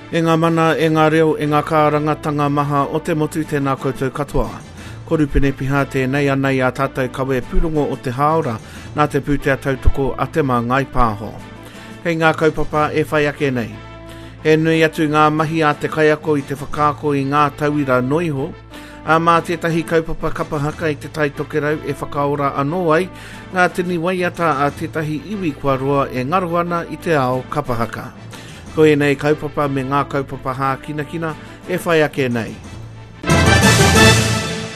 E ngā mana, e ngā reo, e ngā kārangatanga maha o te motu, tēnā koutou katoa. Ko Rupene Piha tēnei ana i a tātou kawe pūrongo o te hāora nā te pūtea tautoko a Te Māngai Pāho. Kei ngā kaupapa e whai ake nei. He nui atu ngā mahi a te kaiako i te whakaako i ngā tauira noiho, ā, mā tētahi kaupapa kapa haka i Te Tai Tokerau e whakaora anō ai ngā tini waiata a tētahi iwi kua roa e ngaro ana i te ao kapa haka. Ko ēnei kaupapa me ngā kaupapa hākinakina e whai ake nei.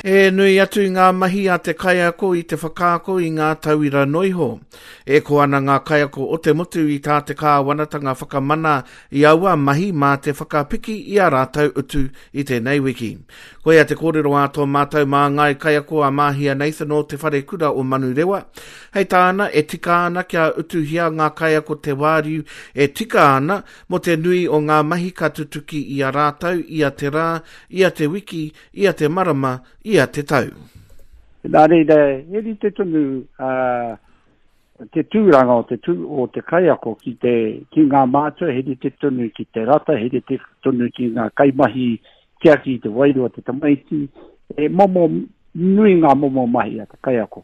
He nui atu ngā mahi a te kaiako i te whakaako i ngā tauira noiho. E ko ana ngā kaiako o te motu i tā te kāwanatanga whakamana i aua mahi mā te whakapiki i ā rātou utu i tēnei wiki. Koia te kōrero a tō mātou māngai kaiako a Māhia Nathan o Te Wharekura o Manurewa. Hei tāna, e tika ana kia utuhia ngā kaiako te wāriu e tika ana mō te nui o ngā mahi ka tutuki i a rātou ia te rā, ia te wiki, ia te marama, ia te tau. Nā reira, he rite tonu te tūranga o te, tū, o te kaiako ki, te, ki ngā mātua, he rite tonu ki te rata, he rite tonu ki ngā kaimahi tiaki i te wairua te tamaiti, he momo nui ngā momo mahi a te kaiako.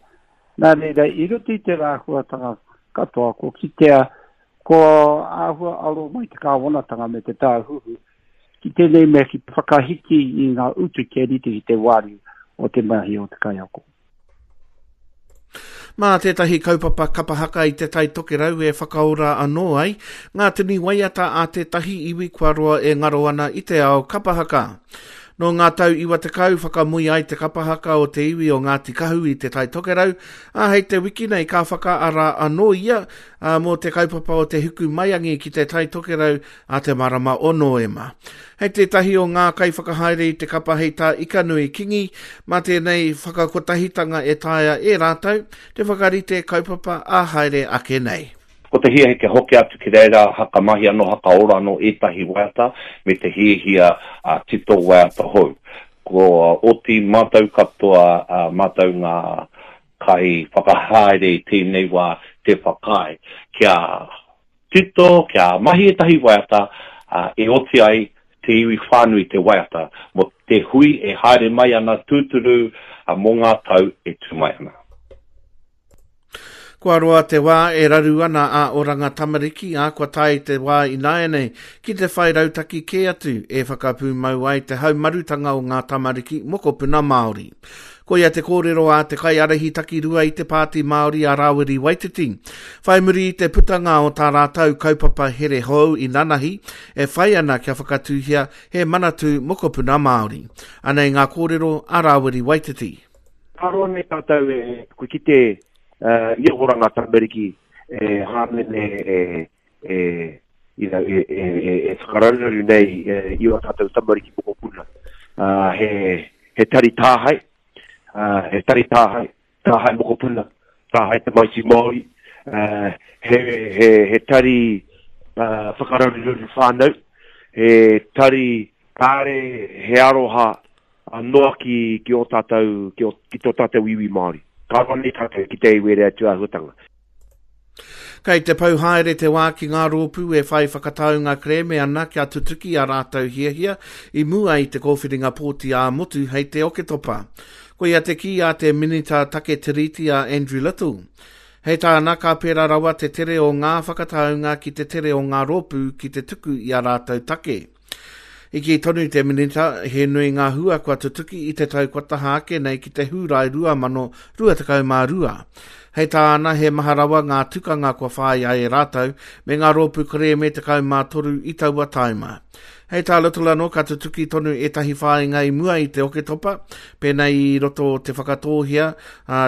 Nā reira, i roto i tērā āhuatanga katoa, kua kitea, kua āhua aro mai te kāwanatanga me te tāhuhu ki tēnei mea ki te whakahiki i ngā utu kia rite ki te wāriu o te mahi o te kaiako. Mā tētahi kaupapa kapa haka i Te Tai Tokerau e whakaora anō ai ngā tini waiata a tētahi iwi kua roa e ngaro ana i te ao kapa haka. Nō ngā tau 90 whakamui ai te kapa haka o te iwi o Ngāti Kahu i Te Tai Tokerau, ā, hei te wiki nei ka whakaara anō ia mō te kaupapa o te Huku Maiangi ki Te Tai Tokerau a te marama o Nōema. Hei tētahi o ngā kaiwhakahaere i te kapa hei tā Ikanui Kingi, mā tēnei whakakotahitanga e taea e rātou te whakarite kaupapa ā haere ake nei. Ko te hiahia kia hoki atu ki reira haka mahi anō, haka ora anō ētahi waiata me te hiahia tito waiata hou. Kua oti mātou katoa, mātou ngā kaiwhakahaere i tēnei wā te whakaae kia tito, kia mahi ētahi waiata e oti ai te iwi whānui te waiata mō te hui e haere mai ana tūturu mō ngā tau e tū mai ana. Kua roa te wā e raru ana a Oranga Tamariki, ā, kua tae te wā ināianei ki te whai rautaki kē atu e whakapūmau ai te haumarutanga o ngā tamariki mokopuna Māori. Koia te kōrero a te kaiārahi takirua i te Pāti Māori a Rāwiri Waititi. Whai muri i te putanga o tā rātou kaupapa here hou inanahi e whai ana kia whakatūhia he manatū mokopuna Māori. Anei ngā kōrero a Rāwiri Waititi. Ka roa nei tātou e kua kite i a Oranga Tamariki e hāmene e, e, you know, e, e, e, e whakararuraru nei i ō tātou tamariki mokopuna. Uh, he, he tari tāhae, uh, he tari tāhae, tāhae mokopuna, tāhae tamaiti Māori, uh, he, he, he tari uh, whakararuraru whānau, he tari kāre he aroha noa ki, ki ō tātou, ki, ō, ki tō tātou iwi Māori. Ka roa nei tātou ki te iwi atu āhuatanga. Kei te pau haere te wā ki ngā rōpū e whai whakataunga kerēme ana kia tutuki ā rātou hiahia i mua i te kōwhiringa pōti ā-motu hei te Oketopa. Koia te kī a te Minita Take Tiriti a Andrew Little. Hei tāna, ka pērā rawa te tere o ngā whakataunga ki te tere o ngā rōpū ki te tuku i ā rātou take. I kī tonu te Minita, he nui ngā hua kua tutuki i te tau kua taha ake nei ki te Hūrae 2022. Hei tāna, he maha rawa ngā tukanga kua whāia e rātou me ngā rōpū kerēme 13 i taua taima. Hei tā Little anō, ka tutuki tonu ētahi whāinga i mua i te Oketopa, pēnei i roto o Te Whakatōhea,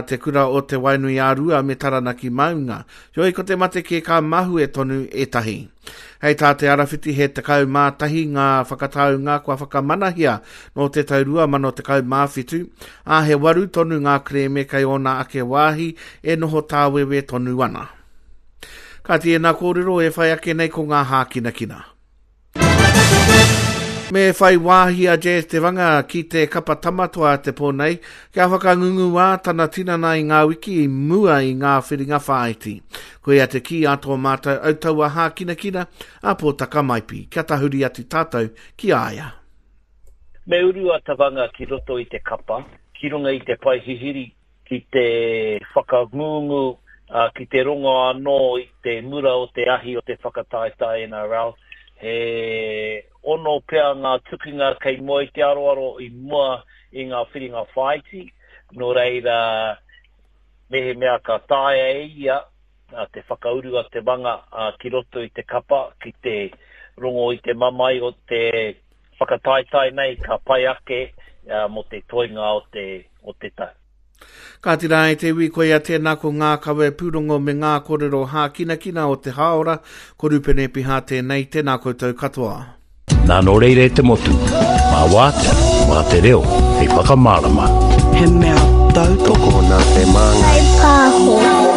Te Kura o Te Wainui-ā-Rua me Taranaki Maunga. Heoi, ko te mate kē ka mahue tonu ētahi. Hei tā Te Arawhiti he 11 ngā whakataunga kua whakamanahia nō te tau 2017, ā, he waru tonu ngā kerēme kei ōna ake wāhi e noho tāwewe tonu ana. Kāti ēnā kōrero e whai ake nei ko ngā hākinakina. Me whai wāhi a Jazz Te Wanga ki te kapa Tamatoa te pō nei, kia whakangunguā tana tinana i ngā wiki i mua i ngā whiringa whāiti. Koia te kī a tō mātou autaua hākinakina, a Pōtaka Maipi. Kia tahuri atu tātou ki a ia. Me uru a Tavanga ki roto i te kapa, ki runga i te pae hihiri, ki te whakangungu, ki te rongo anō i te mura o te ahi o te whakataetae NRL. He ono pea ngā tukinga kei mua i te aroaro i mua i ngā whiringa whāiti, nō reira mehemea ka taea e ia te whakauru a Te Manga ki roto i te kapa ki te rongo i te mamae o te whakataetae nei ka pai ake mō te toenga o te, o te tau. Kāti rā e te iwi, koia tēnā ko ngā kawe pūrongo me ngā kōrero hākinakina o te hāora, ko Rupene Piha tēnei, tēnā koutou katoa. Nā nō reira e te motu, mā wātea, mā te reo, hei whakamārama. He mea tautoko. Tokona te māngai. Whai pāho.